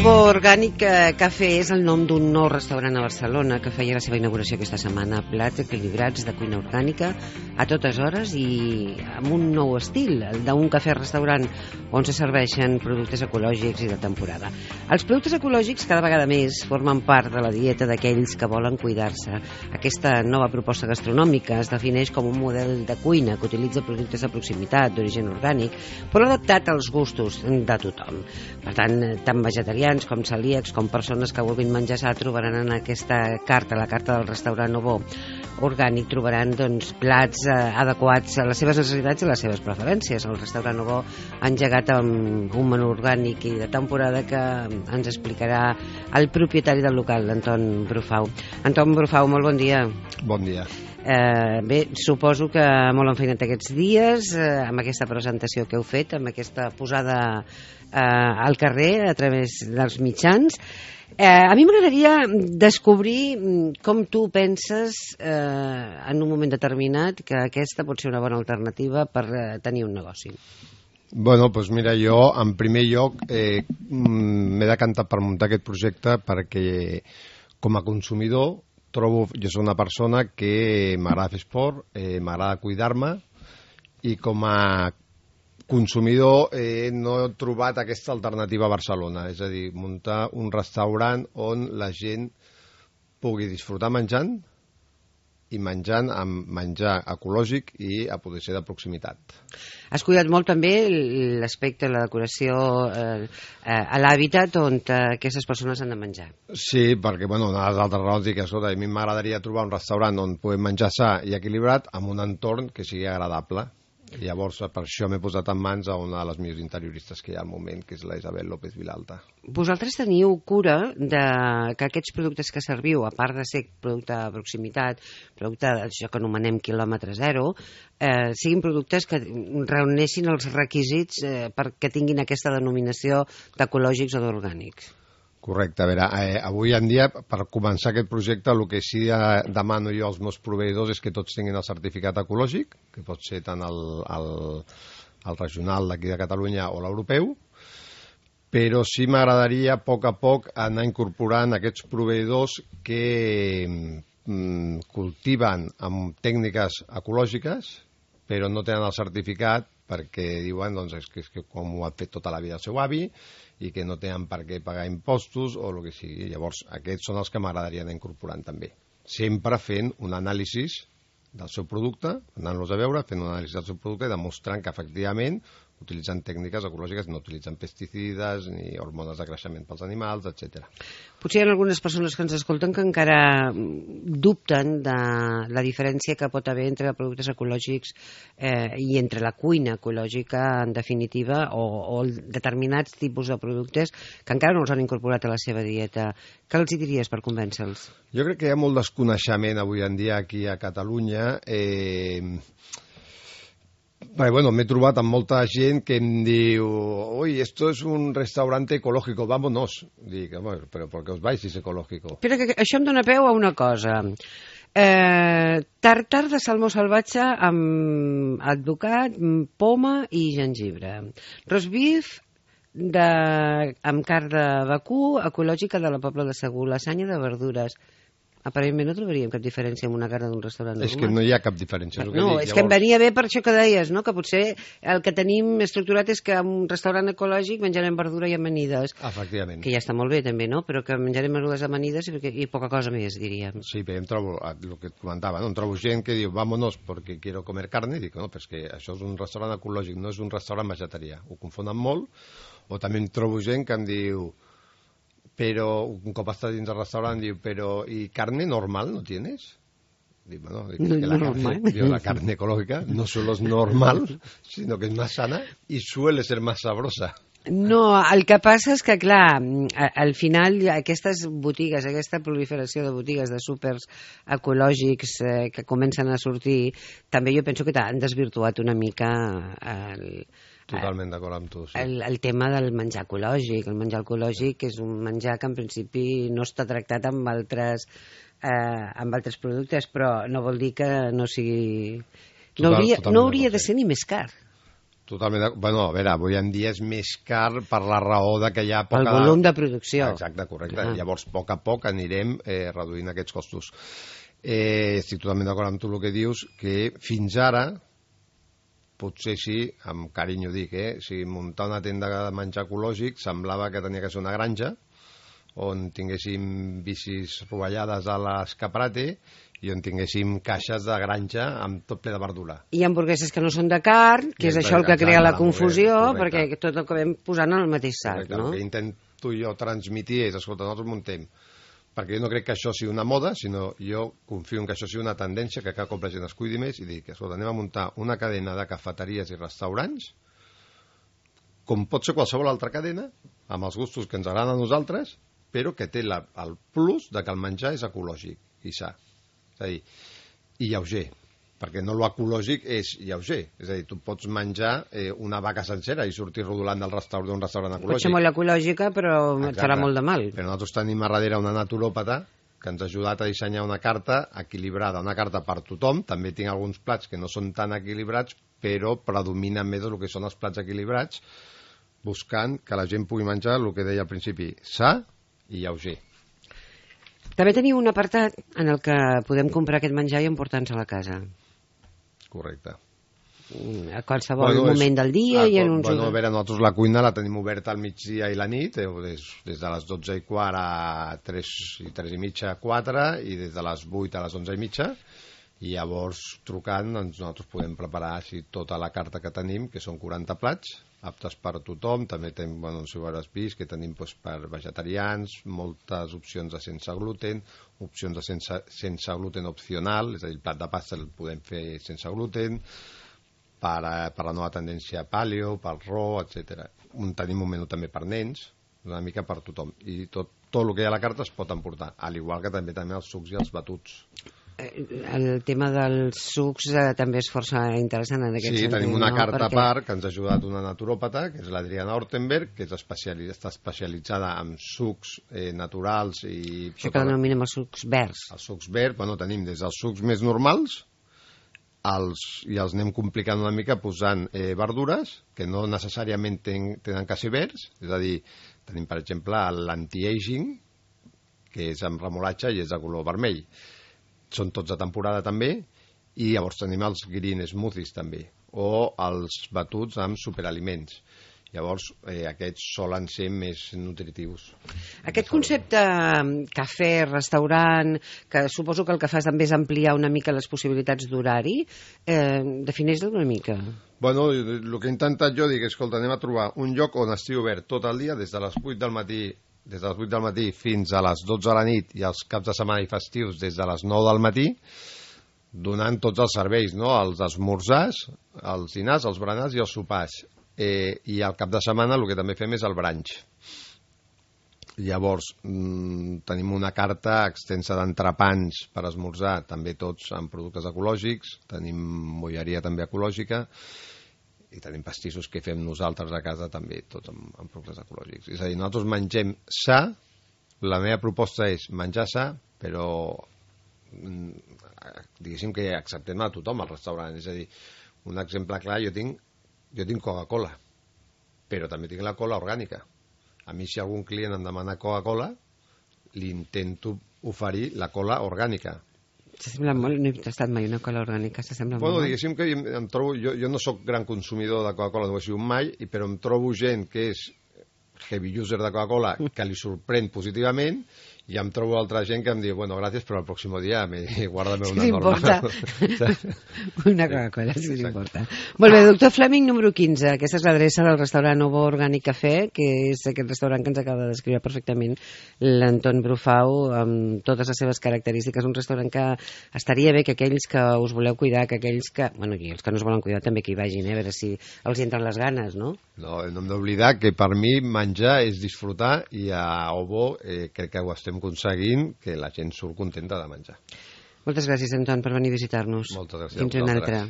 Novo Orgànic Cafè és el nom d'un nou restaurant a Barcelona que feia la seva inauguració aquesta setmana. Plats equilibrats de cuina orgànica a totes hores i amb un nou estil, el d'un cafè-restaurant on se serveixen productes ecològics i de temporada. Els productes ecològics cada vegada més formen part de la dieta d'aquells que volen cuidar-se. Aquesta nova proposta gastronòmica es defineix com un model de cuina que utilitza productes de proximitat, d'origen orgànic, però adaptat als gustos de tothom. Per tant, tant vegetarians com celíacs, com persones que vulguin menjar sa, trobaran en aquesta carta, la carta del restaurant Novo Orgànic, trobaran plats adequats a les seves necessitats i a les seves preferències. El restaurant Novo ha engegat amb un menú orgànic i de temporada que ens explicarà el propietari del local, Anton Brufau. Anton Brufau, molt bon dia. Bon dia. Bé, suposo que molt enfeinat aquests dies amb aquesta presentació que heu fet, amb aquesta posada al carrer a través dels mitjans. A mi m'agradaria descobrir com tu penses en un moment determinat que aquesta pot ser una bona alternativa per tenir un negoci. Bueno, doncs mira, jo en primer lloc m'he decantat per muntar aquest projecte perquè com a consumidor jo soc una persona que m'agrada fer esport, m'agrada cuidar-me i com a consumidor no he trobat aquesta alternativa a Barcelona, és a dir, muntar un restaurant on la gent pugui disfrutar menjant i menjant amb menjar ecològic i a poder ser de proximitat. Has cuidat molt també l'aspecte, la decoració, a l'hàbitat on aquestes persones han de menjar. Sí, perquè una de les altres raons és que a mi m'agradaria trobar un restaurant on puguem menjar sa i equilibrat amb un entorn que sigui agradable. Llavors, per això m'he posat en mans a una de les millors interioristes que hi ha al moment, que és la Isabel López Vilalta. Vosaltres teniu cura que aquests productes que serviu, a part de ser producte de proximitat, producte d'això que anomenem quilòmetre zero, siguin productes que reuneixin els requisits perquè tinguin aquesta denominació d'ecològics o d'orgànics. Correcte. A veure, avui en dia, per començar aquest projecte, el que sí demano jo als meus proveïdors és que tots tinguin el certificat ecològic, que pot ser tant el regional d'aquí de Catalunya o l'europeu, però sí m'agradaria a poc anar incorporant aquests proveïdors que cultiven amb tècniques ecològiques, però no tenen el certificat perquè diuen que com ho ha fet tota la vida el seu avi i que no tenen per què pagar impostos o el que sigui. Llavors, aquests són els que m'agradaria anar incorporant també. Sempre fent un anàlisi del seu producte, anant-los a veure, fent un anàlisi del seu producte i demostrant que efectivament utilitzen tècniques ecològiques, no utilitzen pesticides ni hormones de creixement pels animals, etc. Potser hi ha algunes persones que ens escolten que encara dubten de la diferència que pot haver entre productes ecològics i entre la cuina ecològica, en definitiva, o determinats tipus de productes que encara no els han incorporat a la seva dieta. Què els hi diries per convèncer-los? Jo crec que hi ha molt desconeixement avui en dia aquí a Catalunya. M'he trobat amb molta gent que em diu «Uy, esto es un restaurante ecológico, vámonos». Dic, però ¿por qué os vais si es ecológico? Però que això em dóna peu a una cosa. Tartar de salmó salvatge amb advocat, poma i gengibre. Roast beef amb carn de vacú ecològica de la Pobla de Segur, lasanya de verdures. Aparentment no trobaríem cap diferència amb una carn d'un restaurant normal. És que no hi ha cap diferència. És que em venia bé per això que deies, no? Que potser el que tenim estructurat és que en un restaurant ecològic menjarem verdura i amanides. Efectivament. Que ja està molt bé també, no? Però que menjarem verdures amanides i poca cosa més, diríem. Sí, però em trobo, el que et comentava, em trobo gent que diu vámonos porque quiero comer carne, i dic, no, però és que això és un restaurant ecològic, no és un restaurant vegetarià. Ho confonen molt. O també em trobo gent que em diu pero un cop estàs dins del restaurant diu, però ¿y carne normal no tienes? Dic, la carne ecológica no solo es normal, sino que es más sana y suele ser más sabrosa. No, el que passa és que, clar, al final aquestes botigues, aquesta proliferació de botigues de súpers ecològics que comencen a sortir, també jo penso que han desvirtuat una mica Totalment d'acord amb tu, sí. El tema del menjar ecològic. El menjar ecològic és un menjar que en principi no està tractat amb altres productes, però no vol dir que no sigui... No hauria de ser ni més car. Totalment. Bueno, a veure, avui en dia és més car per la raó de que hi ha poca... El volum de producció. Exacte, correcte. Llavors, a poc a poc anirem reduint aquests costos. Estic totalment d'acord amb tu el que dius, que fins ara, potser sí, amb carinyo dic, si muntar una tenda de menjar ecològic semblava que tenia que ser una granja, on tinguéssim bicis rovellades a l'escaparate i on tinguéssim caixes de granja amb tot ple de verdura. I hamburgueses que no són de carn, que és això el que crea la confusió, perquè tot ho acabem posant en el mateix sac, no? El que intento jo transmitir és, escolta, nosaltres muntem, perquè jo no crec que això sigui una moda, sinó jo confio en que això sigui una tendència, que cada cop la gent es cuidi més, i dic, escolta, anem a muntar una cadena de cafeteries i restaurants, com pot ser qualsevol altra cadena, amb els gustos que ens agraden a nosaltres, però que té el plus de que el menjar és ecològic i sa. És a dir, i lleuger, perquè no l'ecològic és lleuger. És a dir, tu pots menjar una vaca sencera i sortir rodolant d'un restaurant ecològic. Pot ser molt ecològica, però et farà molt de mal. Però nosaltres tenim a darrere una naturòpata que ens ha ajudat a dissenyar una carta equilibrada, una carta per tothom. També tinc alguns plats que no són tan equilibrats, però predominen més el que són els plats equilibrats, buscant que la gent pugui menjar el que deia al principi, sa i lleuger. També teniu un apartat en el que podem comprar aquest menjar i emportar-nos a la casa. Correcte. A qualsevol moment del dia i en uns... Bueno, a veure, nosaltres la cuina la tenim oberta al migdia i la nit, des de les 12:15 a 3:30, 4, i des de les 8 a les 11:30, i llavors trucant nosaltres podem preparar tota la carta que tenim, que són 40 plats, aptes per a tothom. També tenim, no sé si ho hauràs vist, que tenim per vegetarians, moltes opcions de sense gluten, opcions de sense gluten opcional, és a dir, el plat de pasta el podem fer sense gluten, per la nova tendència paleo, pel raw, etc. Tenim un menú també per nens, una mica per tothom, i tot el que hi ha a la carta es pot emportar, al igual que també els sucs i els batuts. El tema dels sucs també és força interessant en aquest sentit. Sí, tenim una carta a part que ens ha ajudat una naturòpata, que és l'Adriana Hortenberg, que està especialitzada en sucs naturals i... Això que denominem els sucs verds. Els sucs verds, tenim des dels sucs més normals i els anem complicant una mica posant verdures que no necessàriament tenen que ser verds, és a dir, tenim per exemple l'anti-aging, que és amb remolatge i és de color vermell. Són tots de temporada també, i llavors tenim els green smoothies també, o els batuts amb superaliments. Llavors aquests solen ser més nutritius. Aquest concepte cafè, restaurant, que suposo que el que fas també és ampliar una mica les possibilitats d'horari, defineix-lo una mica. Bueno, el que he intentat jo, dic, escolta, anem a trobar un lloc on estigui obert tot el dia, des de les 8 del matí fins a les 12 de la nit, i els caps de setmana i festius des de les 9 del matí, donant tots els serveis, no? Els esmorzars, els dinars, els berenars i els sopars. I al cap de setmana el que també fem és el brunch. Llavors tenim una carta extensa d'entrepans per esmorzar, també tots amb productes ecològics, tenim bolleria també ecològica, i tenim pastissos que fem nosaltres a casa també, tots amb productes ecològics. És a dir, nosaltres mengem sa, la meva proposta és menjar sa, però diguéssim que acceptem a tothom al restaurant. És a dir, un exemple clar, jo tinc Coca-Cola, però també tinc la cola orgànica. A mi, si algun client em demana Coca-Cola, li intento oferir la cola orgànica. S'assembla molt, no he tastat mai una cola orgànica, s'assembla molt. Diguéssim que em trobo, jo no sóc gran consumidor de Coca-Cola, no ho he sigut mai, però em trobo gent que és heavy user de Coca-Cola que li sorprèn positivament, i em trobo altra gent que em diu, bueno, gràcies, però el pròxim dia guárdame una normal. Una Coca-Cola, si us importa. Molt bé, doctor Fleming, número 15. Aquesta és l'adreça del restaurant Ovo Orgànic Cafè, que és aquest restaurant que ens acaba de descriure perfectament l'Anton Brufau, amb totes les seves característiques. Un restaurant que estaria bé que aquells que us voleu cuidar, que aquells que... Bueno, i els que no us volen cuidar també que hi vagin, a veure si els entren les ganes, no? No hem d'oblidar que per mi menjar és disfrutar, i a Ovo crec que ho estem aconseguint, que la gent surt contenta de menjar. Moltes gràcies, Anton, per venir a visitar-nos. Moltes gràcies. Fins una altra.